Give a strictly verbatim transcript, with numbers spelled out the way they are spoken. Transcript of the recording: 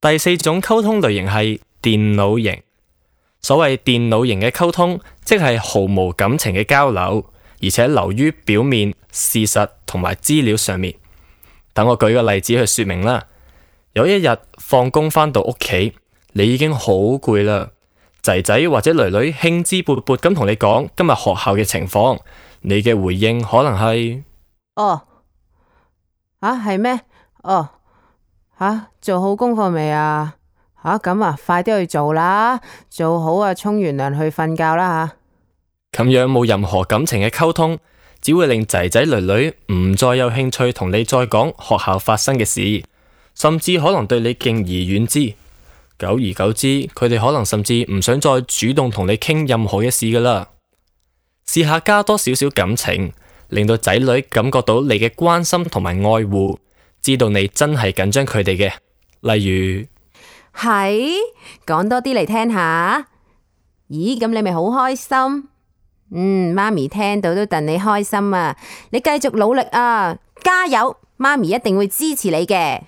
第四種溝通類型係電腦型。所謂電腦型嘅溝通，即係毫無感情嘅交流，而且流於表面、事實同埋資料上面。等我舉個例子去說明啦。有一日放工返到屋企，你已經好攰啦，仔仔或者女女興致勃勃咁同你講今日學校嘅情況，你嘅回應可能係哦，啊係咩？哦，吓、啊、做好功課未啊？吓咁啊，快啲去做啦，做好啊，沖完涼去瞓覺啦吓。咁樣冇任何感情嘅溝通，只會令仔仔女女唔再有興趣同你再講學校發生嘅事，甚至可能對你敬而遠之。久而久之，佢哋可能甚至唔想再主動同你傾任何嘅事噶啦。試下加多少少感情，令到仔女感覺到你嘅關心同埋愛護，知道你真係緊張佢哋嘅。例如，係講多啲嚟聽下。咦，咁你咪好開心？嗯，媽咪聽到都戥你開心啊！你繼續努力啊，加油！媽咪一定會支持你嘅。